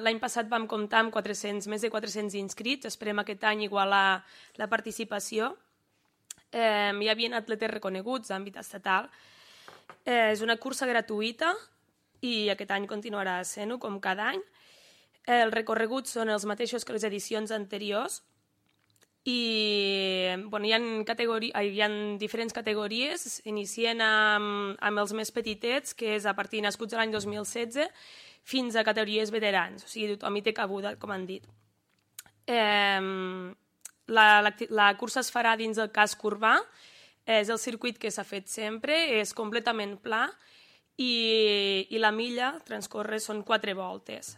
L'any passat vam comptar amb més de 400 inscrits, esperem aquest any igualar la participació. Hi havia atletes reconeguts d'àmbit estatal. És una cursa gratuïta i aquest any continuarà sent-ho com cada any. Els recorreguts són els mateixos que les edicions anteriors i hi ha diferents categories. Inicien amb els més petitets, que és a partir de nascuts l'any 2016, fins a categories veterans, o sigui, tothom hi té cabuda, com han dit. La cursa es farà dins del casc urbà, és el circuit que s'ha fet sempre, és completament pla i la milla transcorre, són 4 voltes.